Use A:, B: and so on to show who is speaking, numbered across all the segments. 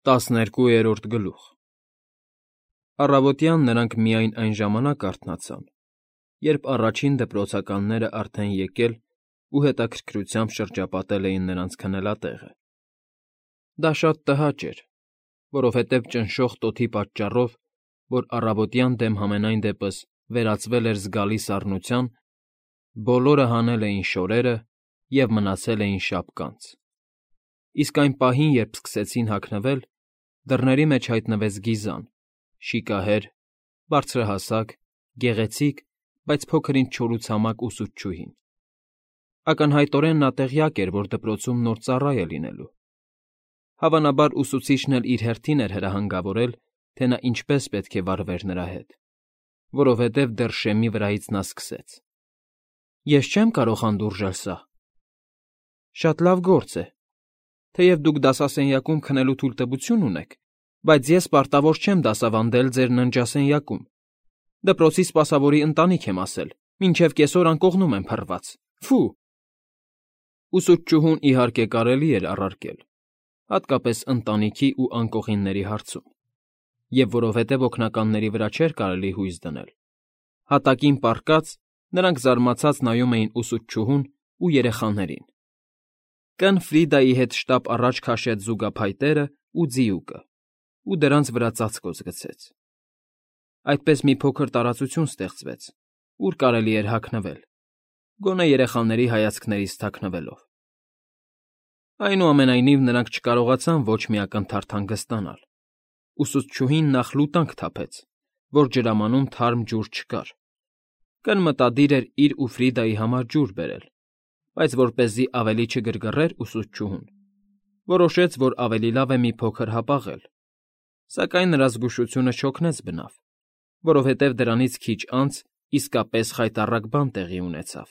A: 12-րդ։ Առավոտյան նրանք միայն այն ժամանակ արթնացան, երբ առաջին դպրոցականները արդեն եկել ու հետաքրքրությամբ շրջապատել էին նրանց քնելատեղը։ Դա շատ տհաճ էր, որովհետև ճնշող տոթի պատճառով, որ առավոտյան դեմ համենայն դեպս վերածվել էր զգալի սառնության, բոլորը հանել էին շորերը և մնացել էին շապկանց։ Իսկ այն պահին, երբ սկսեցին հագնվել, դռների մեջ հայտնվեց Գիզան, շիկահեր, բարձրահասակ, գեղեցիկ, բայց փոքր-ինչ չորուցամակ ուսուցչուհին։ Ակնհայտորեն նա տեղյակ էր, որ դպրոցում նոր ծառա է լինելու։ Հավանաբար ուսուցիչն էլ իր հերթին էր հրահանգավորել, թե նա ինչպես պետք է վարվեր նրա հետ, որովհետև դեռ շեմի վրայից նա սկսեց. Ես չեմ կարող հանդուրժել սա։ Շատ լավ գործ է, թեև դուք դասասենյակում քնելու թույլտվություն ունեք, բայց ես պարտավոր չեմ դասավանդել ձեր ննջասենյակում։ Դպրոցի սպասավորի ընտանիք եմ ասել, մինչև կեսօր անկողնում եմ փռված։ Ֆու… Ուսուցչուհուն, իհարկե, կարելի էր առարկել, հատկապես ընտանիքի ու անկողինների հարցում, և որովհետև օգնականների վրա չէր կարելի հույս դնել, հատակին պառկած նրանք զարմացած նայում էին ուսուցչուհուն ու երեխաներին։ Կն Ֆրիդայի հետ շտապ առաջ քաշեց զուգափայտերը ու ձիուկը ու դրանց վրա ծածկոց գցեց։ Այդպես մի փոքր տարածություն ստեղծվեց, ուր կարելի էր հագնվել, գոնե երեխաների հայացքներից թաքնվելով։ Այնուամենայնիվ նրանք չկարողացան ոչ մի ակնթարթ հանգստանալ։ Ուսուցչուհին նախ լուտանք թափեց, որ ջրամանում թարմ ջուր չկար։ Կն մտադիր էր իր ու Ֆրիդայի համար ջուր բերել, բայց որպեսզի ավելի չգրգռեր ուսուցչուհուն, որոշեց, որ ավելի լավ է մի փոքր հապաղել, սակայն նրա զգուշությունը չօգնեց բնավ, որովհետև դրանից քիչ անց իսկապես խայտառակ բան տեղի ունեցավ։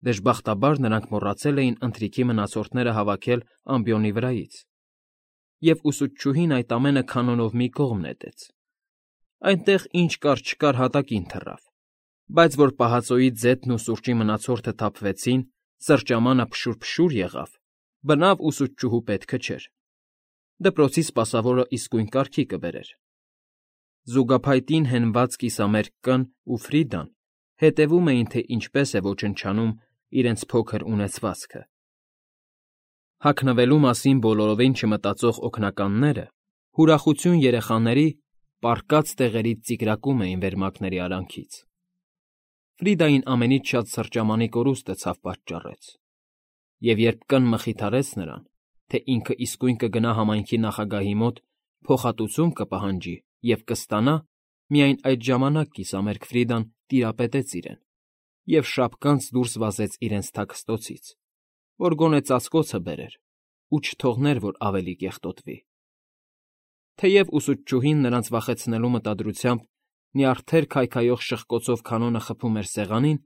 A: Դժբախտաբար նրանք մոռացել էին ընթրիքի մնացորդները հավաքել ամբիոնի վրայից, և ուսուցչուհին այդ ամենը քանոնով մի կողմ նետեց։ Այնտեղ ինչ կար֊չկար հատակին թռավ, բայց որ պահածոյի ձետն ու սուրճի մնացորդը թափվեցին, սրճամանը փշուր-փշուր եղավ, բնավ ուսուցչուհու պետքը չէր։ Դպրոցի սպասավորը իսկույն կարգի կբերեր։ Զուգափայտին հենված կիսամերկ Կն ու Ֆրիդան հետևում էին, թե ինչպես է ոչնչանում իրենց փոքր ունեցվածքը։ Հագնվելու մասին բոլորովին չմտածող օգնականները հուրախություն երեխաների պառկած տեղերից ծիկրակում էին վերմակների արանքից։ Ֆրիդային ամենից շատ սրճամանի կորուստը ցավ պատճառեց, և երբ Կն մխիթարեց նրան, թե ինքը իսկույն կգնա համայնքի նախագահի մոտ, փոխհատուցում կպահանջի և կստանա, միայն այդ ժամանակ կիսամերկ Ֆրիդան տիրապետեց իրեն և շապկանց դուրս վազեց իրենց թաքստոցից, որ գոնե ծածկոցը բերեր ու չթողներ, որ ավելի կեղտոտվի։ Թեև ուսուցչուհին նրանց վախեցնելու մտադրությամբ նյարդեր քայքայող շխկոցով կանոնը խփում էր սեղանին,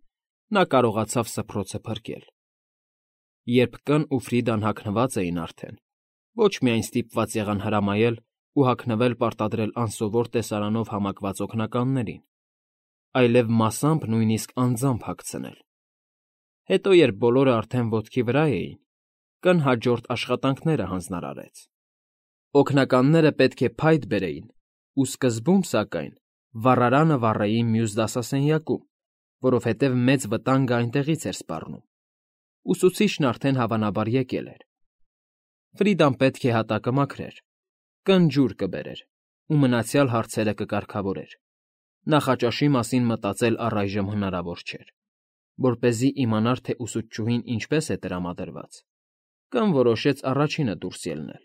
A: նա կարողացավ սփռոցը փրկել։ Երբ Կն ու Ֆրիդան հագնված էին արդեն, ոչ միայն ստիպված եղան հրամայել ու հագնվել պարտադրել անսովոր տեսարանով համակված օգնականներին, այլև մասամբ նույնիսկ անձամբ հագցնել։ Հետո, երբ բոլորը արդեն ոտքի վրա էին, Կն հաջորդ աշխատանքները հանձնարարեց։ Օգնականները պետք է փայտ բերեին ու սկզբում, սակայն, վառարանը վառեին մյուս դասասենյակում, որովհետև մեծ վտանգը այնտեղից էր սպառնում։ Ուսուցիչն արդեն հավանաբար եկել էր։ Ֆրիդան պետք է հատակը մաքրեր, Կն ջուր կբերեր ու մնացյալ հարցերը կկարգավորեր։ Նախաճաշի մասին մտածել առայժմ հնարավոր չէր։ Որպեսզի իմանար, թե ուսուցչուհին ինչպես է տրամադրված, Կն որոշեց առաջինը դուրս ելնել,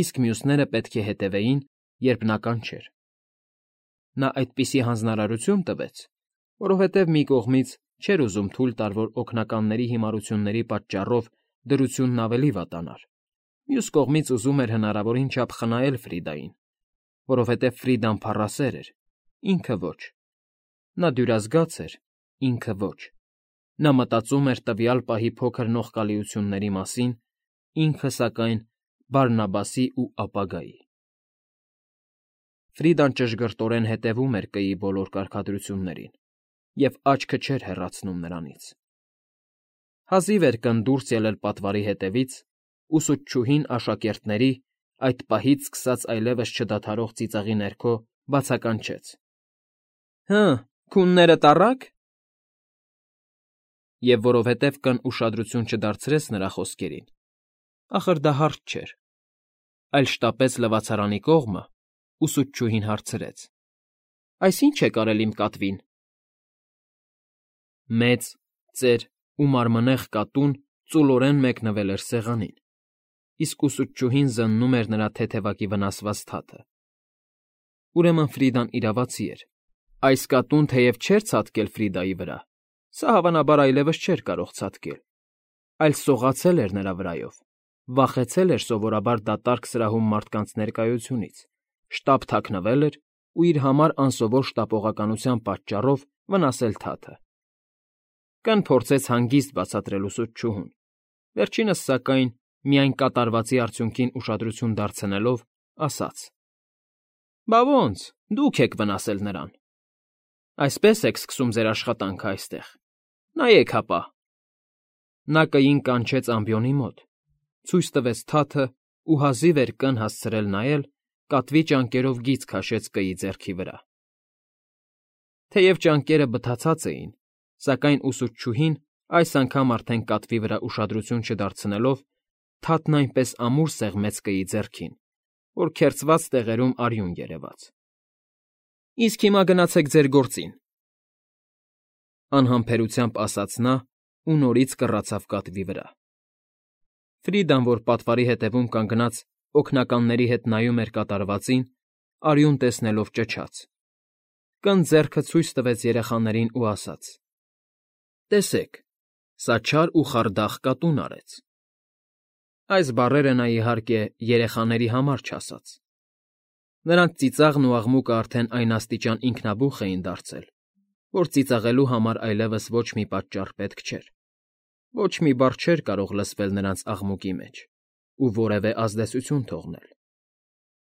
A: իսկ մյուսները պետք է հետևեին, երբ նա կանչեր։ Նա այդպիսի հանձնարարություն տվեց, որովհետև մի կողմից չէր ուզում թույլ տալ, որ օգնականների հիմարությունների պատճառով դրությունն ավելի վատանար, մյուս կողմից ուզում էր հնարավորին չափ խնայել Ֆրիդային, որովհետև Ֆրիդան փառասեր էր, ինքը ոչ։ Նա դյուրազգաց էր, ինքը ոչ։ Նա մտածում էր տվյալ պահի փոքր նողկալիությունների մասին, ինքը, սակայն, Բարնաբասի ու ապագայի։ Ֆրիդան ճշգրտորեն հետևում էր Կի բոլոր կարգադրություններին և աչքը չէր հեռացնում նրանից։ Հազիվ էր Կն դուրս ելել պատվարի հետևից, ուսուցչուհին աշակերտների, այդ պահից սկսած այլևս չդադարող ծիծաղի ներքո բացականչեց. Հը, քունները տառա՞ք։ Եվ որովհետև կն ուշադրություն չդարձրեց նրա խոսքերին, ախր դա հարց չէր, այլ շտապեց լվացարանի կողմը, ուսուցչուհին հարցրեց. Այս ի՞նչ եք արել իմ կատվին։ Մեծ, ծեր ու մարմնեղ կատուն ծուլորեն մեկնվել էր սեղանին, իսկ ուսուցչուհին զննում էր նրա թեթևակի վնասված թաթը։ Ուրեմն Ֆրիդան իրավացի էր. այս կատուն թեև չէր ցատկել Ֆրիդայի վրա, սա հավանաբար այլևս չէր կարող ցատկել, այլ սողացել էր նրա վրայով, վախեցել էր սովորաբար դատարկ սրահում մարդկանց ներկայությունից, շտապ թաքնվել էր ու իր համար անսովոր շտապողականության պատճառով վնասել թաթը։ Կն փորձեց հանգիստ բացատրել ուսուցչուհուն, վերջինս, սակայն, միայն կատարվածի արդյունքին ուշադրություն դարձնելով, ասաց. Բա ոնց, դուք եք վնասել նրան։ Այսպես եք սկսում ձեր աշխատանքը այստեղ։ Նայեք հապա։ Նա կին կանչեց ամբիոնի մոտ, ցույց տվեց թաթը ու հազիվ էր կն հասցրել նայել, կատվի ճանկերով գիծ քաշեց կի ձեռքի վրա։ Թեև ճանկերը բթացած էին, սակայն ուսուցչուհին այս անգամ արդեն կատվի վրա ուշադրություն չդարձնելով, թաթն այնպես ամուր սեղմեց կի ձեռքին, որ քերծված տեղերում արյուն երևաց։ Իսկ հիմա գնացեք ձեր գործին, անհամբերությամբ ասաց նա ու նորից կռացավ կատվի վրա։ Ֆրիդան, որ պատվարի հետևում կանգնած օգնականների հետ նայում էր կատարվածին, արյուն տեսնելով ճչաց։ Կն ձեռքը ցույց տվեց երեխաներին ու ասաց. Տեսեք, սա չար ու խարդախ կատուն արեց։ Այս բառերը նա, իհարկե, երեխաների համար չասաց։ Նրանց ծիծաղն ու աղմուկը արդեն այն աստիճան ինքնաբուխ էին դարձել, որ ծիծաղելու համար այլևս ոչ մի պատճառ պետք չէր, ոչ մի բառ չէր կարող լսվել նրանց աղմուկի մեջ ու որևէ ազդեցություն թողնել։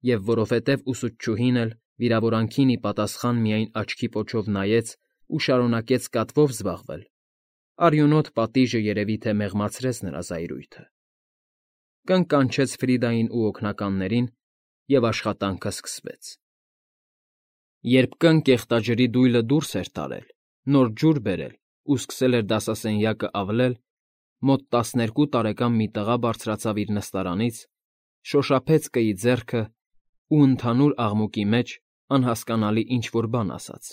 A: Եվ որովհետև ուսուցչուհին էլ վիրավորանքին ի պատասխան միայն աչքի պոչով նայեց ու շարունակեց կատվով զբաղվել, արյունոտ պատիժը երևի թե մեղմացրեց նրա զայրույթը։ Կանչեց Ֆրիդային ու օգնականներին, և աշխատանքը սկսվեց։ Երբ կն կեղտաջրի դույլը դուրս էր տարել, նոր ջուր բերել ու սկսել էր դասասենյակը ավլել, մոտ 12 տարեկան մի տղա բարձրացավ իր նստարանից, շոշափեց կի ձեռքը ու ընդհանուր աղմուկի մեջ անհասկանալի ինչ֊որ բան ասաց։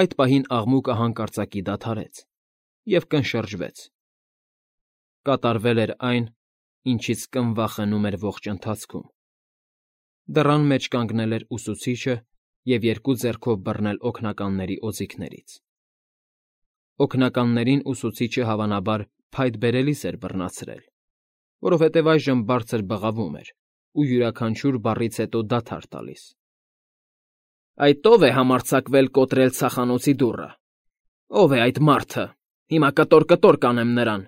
A: Այդ պահին աղմուկը հանկարծակի դադարեց, և կն շրջվեց։ Կատարվել էր այն, ինչից կն վախենում էր ողջ ընթացքում։ Դռան մեջ կանգնել էր ուսուցիչը և երկու ձեռքով բռնել օգնականների օձիքներից։ Օգնականներին ուսուցիչը հավանաբար փայտ բերելիս էր բռնացրել, որովհետև այժմ բարձր բղավում էր ու յուրաքանչյուր բառից հետո դադար տալիս։ Այդ ո՞վ է համարձակվել կոտրել ցախանոցի դուռը։ Ո՞վ է այդ մարդը։ Հիմա կտոր կանեմ նրան։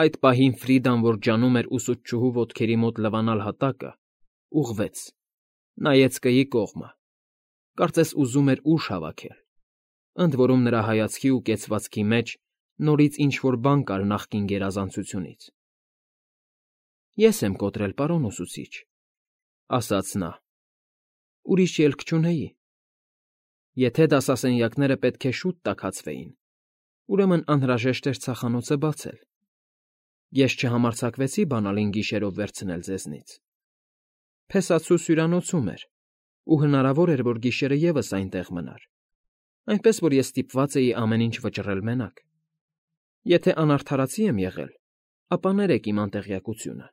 A: Այդ պահին Ֆրիդան, որ ջանում էր ուսուցչուհու ոտքերի մոտ լվանալ հատակը, ուղղվեց, նայեց կի կողմը, կարծես ուզում էր ուժ հավաքել, ընդ որում նրա հայացքի ու կեցվածքի մեջ նորից ինչ֊որ բան կար նախկին գերազանցությունից։ Ես եմ կոտրել, պարոն ուսուցիչ, ասաց նա։ Ուրիշ ելք չունեի։ Եթե դասասենյակները պետք է շուտ տաքացվեին, ուրեմն անհրաժեշտ էր ցախանոցը բացել։ Ես չհամարձակվեցի բանալին գիշերով վերցնել ձեզնից։ Փեսացուս հյուրանոցում էր, ու հնարավոր էր, որ գիշերը ևս այնտեղ մնար, այնպես որ ես ստիպված էի ամեն ինչ վճռել մենակ։ Եթե անարդարացի եմ եղել, ապա ներեք իմ անտեղյակությունը։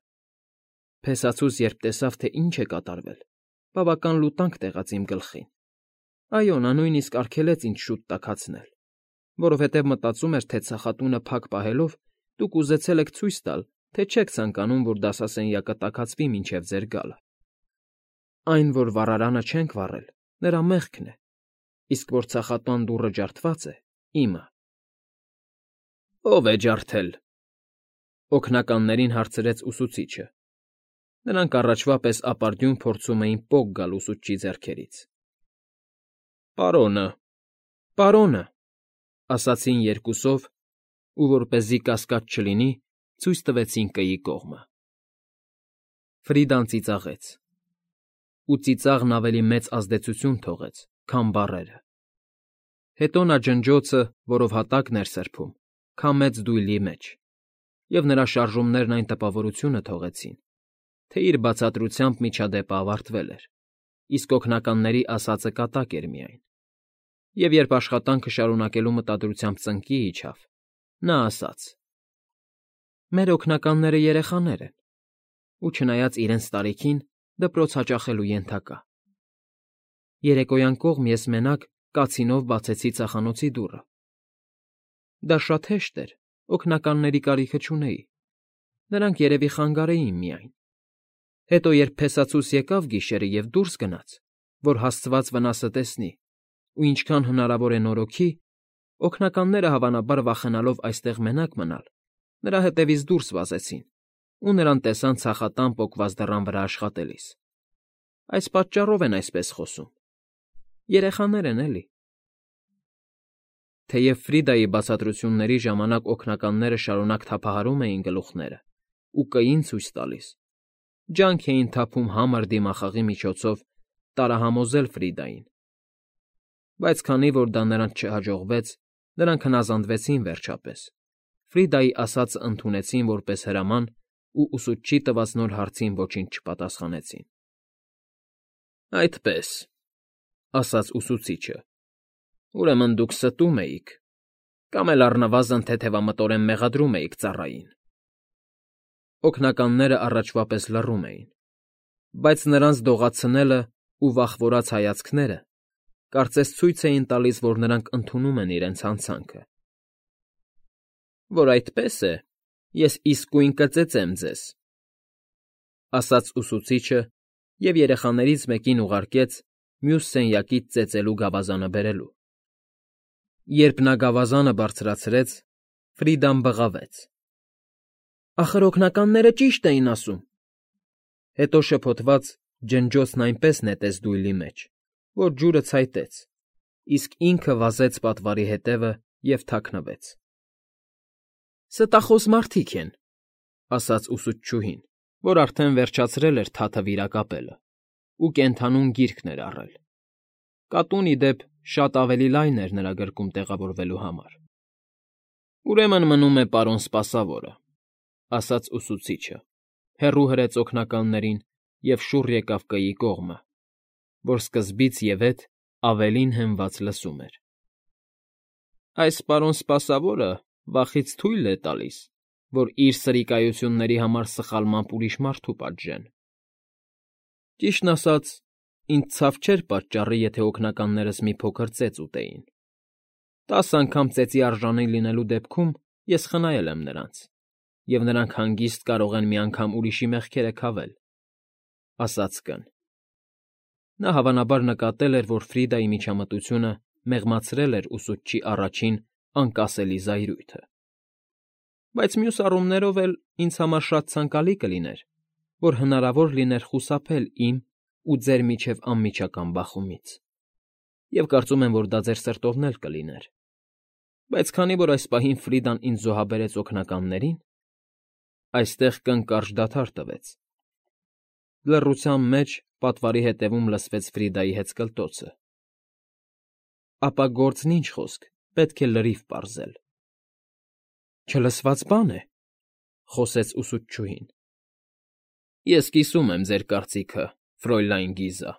A: Փեսացուս, երբ տեսավ, թե ինչ է կատարվել, բավական լուտանք տեղաց իմ գլխին։ Այո, նա նույնիսկ արգելեց ինձ շուտ տաքացնել, որովհետև մտածում էր, թե ցախատունը փակ պահելով դուք ուզեցել եք ցույց տալ, թե չեք ցանկանում, որ դասասենյակը տաքացվի մինչև ձեր գալը։ Այն, որ վառարանը չենք վառել, նրա մեղքն է, իսկ որ ցախատան դուռը ջարդված է, իմը։ Ո՞վ է ջարդել։ Օգնականներին հարցրեց ուսուցիչը։ Նրանք առաջվա պես ապարդյուն փորձում էին պոկ գալ ուսուցչի ձեռքերից։ Պարոնը, ասացին երկուսով, ու որպեսզի կասկած չլինի, ցույց տվեցին կի կողմը։ Ֆրիդան ծիծաղեց։ Ու ծիծաղն ավելի մեծ ազդեցություն թողեց, քան բառերը։ Հետո նա ջնջոցը, որով հատակն էր սրբում, քամեց դույլի մեջ, և նրա շարժումներն այն տպավորությունը թողեցին, թե իր բացատրությամբ միջադեպը ավարտվել էր, իսկ օգնականների ասածը կատակ էր միայն։ Եվ երբ աշխատանքը շարունակելու մտադրությամբ ծնկի իջավ, նա ասաց. «Մեր օգնականները երեխաներ են, ու չնայած իրենց տարիքին, դպրոց հաճախելու ենթակա։ Երեկոյան կողմ ես մենակ կացինով բացեցի ծախանոցի դուռը։ Դա շատ հեշտ էր, օգնականների կարիքը չունեի, նրանք երևի խանգարեին միայն։ Հետո երբ փեսացուս եկավ գիշերը և դուրս գնաց, որ հասցված վնասը տեսնի, ու ինչքան հնարավոր է նորոգի, օգնականները, հավանաբար վախենալով այստեղ մենակ մնալ, նրա հետևից դուրս վազեցին ու նրան տեսան ցախատան պոկված դռան վրա աշխատելիս։ Այս պատճառով են այսպես խոսում։ Երեխաներ են, էլի»։ Թեև Ֆրիդայի բացատրությունների ժամանակ օգնականները շարունակ թափահարում էին գլուխները ու կային ցույց տալիս, ջանք էին թափում համր դիմախաղի միջոցով տարահամոզել Ֆրիդային, բայց քանի որ դա նրանց չհաջողվեց, նրանք հնազանդվեցին վերջապես, Ֆրիդայի ասածը ընդունեցին որպես հրաման ու ուսուցչի տված նոր հարցին ոչինչ չպատասխանեցին։ «Այդպես,֊ ասաց ուսուցիչը,֊ ուրեմն դուք ստում էիք, կամ էլ առնվազն թեթևամտորեն մեղադրում էիք ծառային»։ Օգնականները առաջվա պես լռում էին, բայց նրանց դողացնելն ու վախվորած հայացքները կարծես ցույց էին տալիս, որ նրանք ընդունում են իրենց հանցանքը։ «Որ այդպես է, ես իսկույն կծեծեմ ձեզ,֊ ասաց ուսուցիչը և երեխաներից մեկին ուղարկեց մյուս սենյակից ծեծելու գավազանը բերելու։ Երբ նա գավազանը բարձրացրեց, Ֆրիդան բղավեց. «Ախր օգնականները ճիշտ էին ասում»։ Հետո շփոթված ջնջոցն այնպես նետեց դույլի մեջ, որ ջուրը ցայտեց, իսկ ինքը վազեց պատվարի հետևը և թաքնվեց։ «Ստախոս մարդիկ են,֊ ասաց ուսուցչուհին, որ արդեն վերջացրել էր թաթը վիրակապելը ու կենդանուն գիրկն էր առել։ Կատուն, ի դեպ, շատ ավելի լայն էր նրա գրկում տեղավորվելու համար։ «Ուրեմն մնում է պարոն սպասավորը,֊ ասաց ուսուցիչը, հեռու հրեց օգնականներին և շուռ եկավ կăի կողմը, որ սկզբից և ետ ավելին հենված լսում էր։ Այս պարոն սպասավորը վախից թույլ է տալիս, որ իր սրիկայությունների համար սխալմամբ ուրիշ մարդու պատժեն։ Ճիշտն ասած, ինձ ցավ չէր պատճառի, եթե օգնականներս մի փոքր ծեծ ուտեին։ 10 անգամ ծեծի արժանի լինելու դեպքում ես խնայել եմ նրանց, և նրանք հանգիստ կարող են մի անգամ ուրիշի մեղքերը քավել,֊ ասաց կն։ Նա հավանաբար նկատել էր, որ Ֆրիդայի միջամտությունը մեղմացրել էր ուսուցչի առաջին անկասելի զայրույթը։ Բայց մյուս առումներով էլ ինձ համար շատ ցանկալի կլիներ, որ հնարավոր լիներ խուսափել իմ ու ձեր միջև անմիջական բախումից, և կարծում եմ, որ դա ձեր սրտովն էլ կլիներ։ Բայց քանի որ այս պահին Ֆրիդան ինձ զոհաբերեց օգնականներին…» Այստեղ կն կարճ դադար տվեց։ Լռության մեջ պատվարի հետևում լսվեց Ֆրիդայի հեծկլտոցը։ «Ապա գործն ինչ խոսք, պետք է լրիվ պարզել»։ «Չլսված բան է,֊ խոսեց ուսուցչուհին։ Ես կիսում եմ ձեր կարծիքը, Ֆրոյլայն Գիզա,֊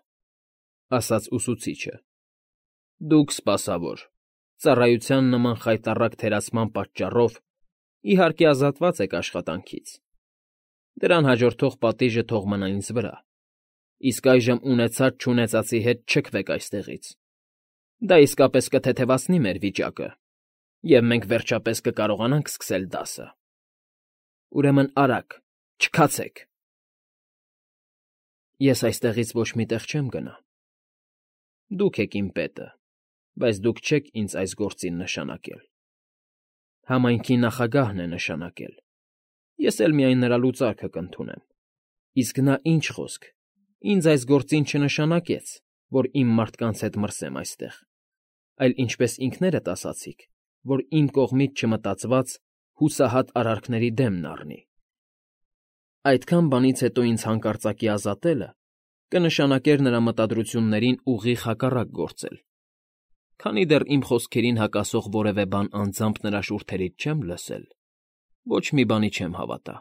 A: ասաց ուսուցիչը։ Դուք, սպասավոր, ծառայության նման խայտառակ թերացման պատճառով, իհարկե, ազատված եք աշխատանքից։ Դրան հաջորդող պատիժը թող մնա ինձ վրա, իսկ այժմ ունեցած֊չունեցածի հետ չքվեք այստեղից։ Դա իսկապես կթեթևացնի մեր վիճակը, և մենք վերջապես կկարողանանք սկսել դասը։ Ուրեմն արագ, չքացեք։ Ես այստեղից ոչ մի տեղ չեմ գնա։ Դուք եք իմ պետը, բայց դուք չեք ինձ այս գործին նշանակել։ Համայնքի նախագահն է նշանակել, ես էլ միայն նրա լուծարքը կընդունեմ։ Իսկ նա ինչ խոսք, ինձ այս գործին չնշանակեց, որ իմ մարդկանց հետ մրսեմ այստեղ, այլ ինչպես ինքներդ ասացիք, որ իմ կողմից չմտածված հուսահատ արարքների դեմն առնի։ Այդքան բանից հետո ինձ հանկարծակի ազատելը կնշանակեր նրա մտադրություններին ուղիղ հակառակ գործել, քանի դեռ իմ խոսքերին հակասող որևէ բան անձամբ նրա շուրթերից չեմ լսել, ոչ մի բանի չեմ հավատա։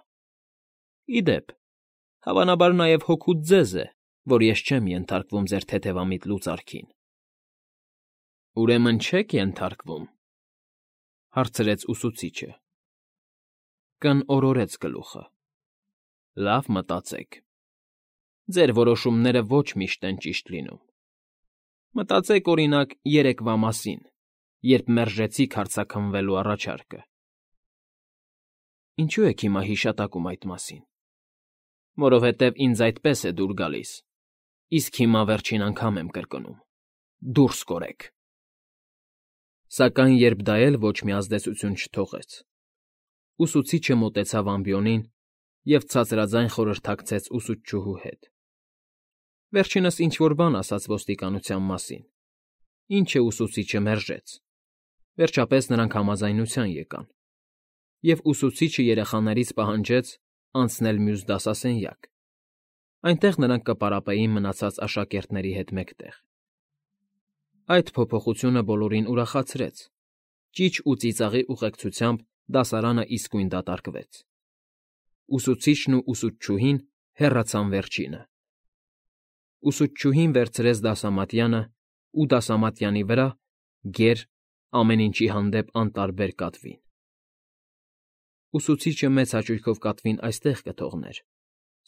A: Ի դեպ, հավանաբար նաև հոգուց ձեզ է, որ ես չեմ ենթարկվում ձեր թեթևամիտ լուծարքին։ Ուրեմն չեք ենթարկվում, հարցրեց ուսուցիչը։ Կն օրորեց գլուխը։ Լավ մտածեք։ Ձեր որոշումները ոչ միշտ են ճիշտ լինում։ Մտածեք, օրինակ, երեկվա մասին, երբ մերժեցիք հարցաքննվելու առաջարկը։ Ինչու եք հիմա հիշատակում այդ մասին։ Որովհետև ինձ այդպես է դուր գալիս, իսկ հիմա վերջին անգամ եմ կրկնում. դուրս կորեք։ Սակայն երբ դա էլ ոչ մի ազդեցություն չթողեց, ուսուցիչը մոտեցավ ամբիոնին և ցածրաձայն խորհրդակցեց ուսուցչուհու հետ։ Վերջինս ինչ֊որ բան ասաց ոստիկանության մասին, ինչը ուսուցիչը մերժեց։ Վերջապես նրանք համաձայնության եկան, և ուսուցիչը երեխաներից պահանջեց անցնել մյուս դասասենյակ։ Այնտեղ նրանք կպարապեին մնացած աշակերտների հետ մեկտեղ։ Այդ փոփոխությունը բոլորին ուրախացրեց։ Ճիչ ու ծիծաղի ուղեկցությամբ դասարանը իսկույն դատարկվեց։ Ուսուցիչն ու ուսուցչուհին հեռացան վերջինը։ Ուսուցչուհին վերցրեց դասամատյանը ու դասամատյանի վրա գեր ամեն ինչի հանդեպ անտարբեր կատվին։ Ուսուցիչը մեծ հաճույքով կատվին այստեղ կթողներ,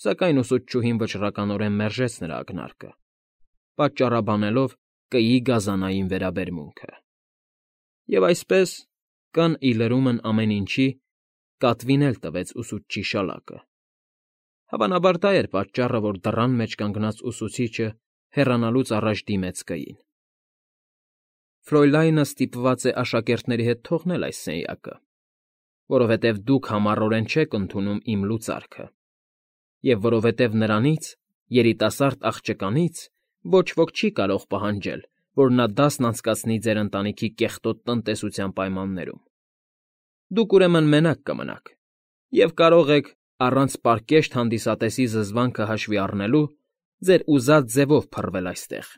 A: սակայն ուսուցչուհին վճռականորեն մերժեց նրա ակնարկը, պատճառաբանելով կգի գազանային վերաբերմունքը։ Եվ այսպես, կան ի լրումն ամեն ինչի, կատվին էլ տվեց ուսուցչի շալակը։ Հավանաբար դա էր պատճառը, որ դռան մեջ կանգնած ուսուցիչը հեռանալուց առաջ դիմեց կգին։ Ֆրոյլայնը ստիպված է աշակերտների հետ թողնել այս սենյակը, որովհետև դուք համառորեն չեք ընդունում իմ լուծարքը, և որովհետև նրանից, երիտասարդ աղջկանից, ոչ ոք չի կարող պահանջել, որ նա դասն անցկացնի ձեր ընտանիքի կեղտոտ տնտեսության պայմաններում։ Դուք ուրեմն մենակ կմնաք և կարող եք, առանց պարկեշտ հանդիսատեսի զզվանքը հաշվի առնելու, ձեր ուզած ձևով փռվել այստեղ։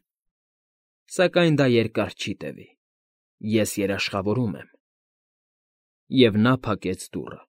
A: Սակայն դա երկար չի տևի։ Ես երաշխավորում եմ։ Եվ նա փակեց դուռը։